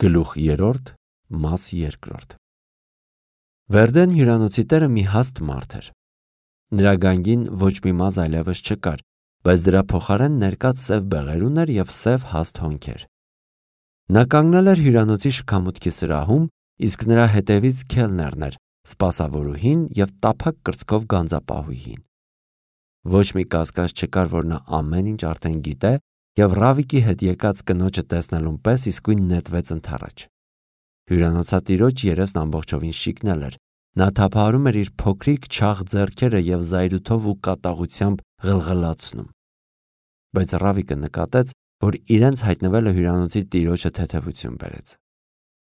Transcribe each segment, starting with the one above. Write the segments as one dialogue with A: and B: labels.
A: Գլուխ 3, մաս 2։ Վերդեն հյուրանոցի տերը մի հաստ մարդ էր։ Նրա գանգին ոչ մի մազ այլևս չկար, բայց դրա փոխարեն ներկած սև բեղեր ուներ և սև հաստ հոնքեր։ Նա կանգնել էր հյուրանոցի շքամուտքի սրահում, իսկ նրա հետևից քելներն էր, սպասավորուհին և տափակ կրծքով գանձապահուհին։ Ոչ մի կասկած չկար, որ նա ամեն ինչ արդեն գիտե և Ռավիկի հետ եկած կնոջը տեսնելուն պես իսկույն նետվեց ընդառաջ։ Հյուրանոցատիրոջ երեսն ամբողջովին շիկնել էր։ Նա թափահարում էր իր փոքրիկ չաղ ձեռքերը և զայրույթով ու կատաղությամբ ղլղլացնում։ Բայց Ռավիկը նկատեց, որ իրենց հայտնվելը հյուրանոցի տիրոջը թեթևություն բերեց։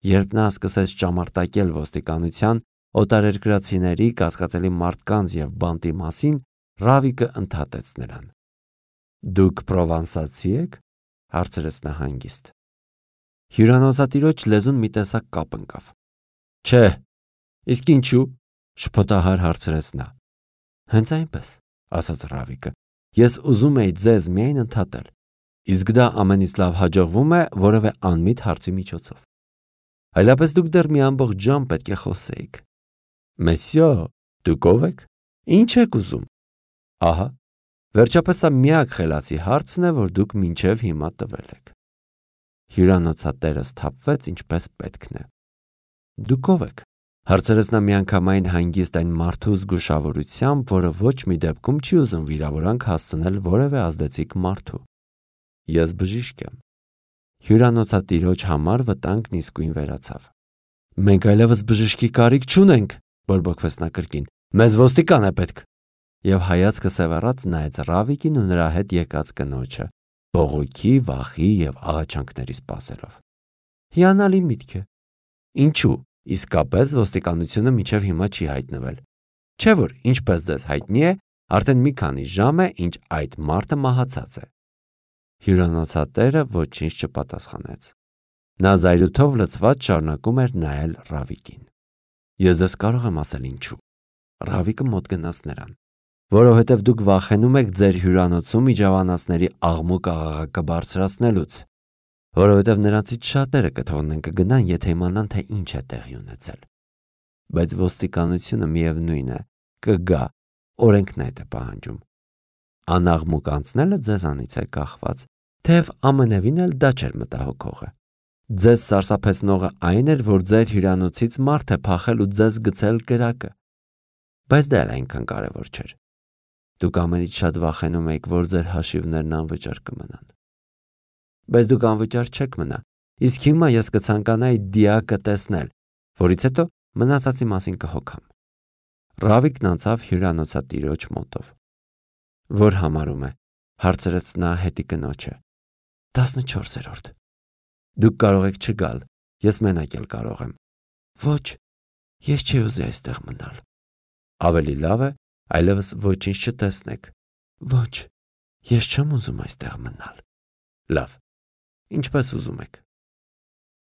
A: Երբ նա սկսեց ճամարտակել ոստիկանության, օտարերկրացիների, կասկածելի մարդկանց և բանտի մասին, Ռավիկը ընդհատեց նրան։ «Դուք պրովանսացի եք?» հարցրեց նա հանգիստ։ Հյուրանոցատիրոջ լեզուն մի տեսակ կապ ընկավ։ «Չէ, իսկ ինչու?» շփոթահար հարցրեց նա։ «Հենց այնպես», ասաց Ռավիկը։ «Ես ուզում էի ձեզ միայն ընդհատել, իսկ դա ամենից լավ հաջողվում է որևէ անմիտ հարցի միջոցով։ Այլապես դուք դեռ մի ամբողջ ժամ պետք է խոսեիք։ Մեսյո, դուք ով եք։ Ինչ եք ուզում։ Ահա, վերջապես սա միակ խելացի հարցն է, որ դուք մինչև հիմա տվել եք»։ Հյուրանոցատերը սթափվեց ինչպես պետքն է։ «Դուք ով եք», հարցրեց նա միանգամայն հանգիստ այն մարդու զգուշավորությամբ, որը ոչ մի դեպքում չի ուզում վիրավորանք հասցնել որևէ ազդեցիկ մարդու։ «Ես բժիշկ եմ»։ Հյուրանոցատիրոջ համար վտանգն իսկույն վերացավ։ «Մենք այլևս բժշկի կարիք չունենք», բորբոքվեց նա կրկին։ «Մեզ ոստիկան է պետք»։ Եվ հայացքը սևեռած նայեց Ռավիկին ու նրա հետ եկած կնոջը, բողոքի, վախի և աղաչանքների սպասելով։ Հիանալի միտք է։ Ինչու՞ իսկապես ոստիկանությունը մինչև հիմա չի հայտնվել։ Չէ՞ որ, ինչպես ձեզ հայտնի է, արդեն մի քանի ժամ է, ինչ այդ մարդը մահացած է։ Հյուրանոցատերը ոչինչ չպատասխանեց։ Նա զայրույթով լցված շարունակում էր նայել Ռավիկին։ «Ես ձեզ կարող եմ ասել ինչու»։ Ռավիկը մոտ գնաց նրան։ «Որովհետև դուք վախենում եք ձեր հյուրանոցում իջավանածների աղմուկ-աղաղակը բարձրացնելուց, որովհետև նրանցից շատերը կթողնեն կգնան, եթե իմանան, թե ինչ է տեղի ունեցել։ Բայց ոստիկանությունը միևնույն է, կգա, օրենքն այդ է պահանջում։ Անաղմուկ անցնելը ձեզանից է կախված, թեև ամենևին էլ դա չէր մտահոգողը։ Ձեզ սարսափեցնողը այն էր, որ ձեր հյուրանոցից մարդ է փախել ու ձեզ գցել կրակը։ Բայց դա էլ այնքան կարևոր չէր։ Դուք ամենից շատ վախենում եք, որ ձեր հաշիվներն անվճար կմնան։ Բայց դուք անվճար չեք մնա, իսկ հիմա ես կցանկանայի դիակը տեսնել, որից հետո մնացածի մասին կհոգամ»։ Ռավիկն անցավ հյուրանոցատիրոջ մոտով։ «Որ համարում է», հարցրեց նա հետի կնոջը։ 14-րդ։ «Դուք կարող եք չգալ, ես մենակ էլ կարող եմ»։ «Ոչ, ես չի ուզի այստեղ մնալ»։ «Ավելի լավ է այլևս ոչինչ չտեսնեք»։ «Ոչ, ես չեմ ուզում այստեղ մնալ»։ «Լավ, ինչպես ուզում եք»։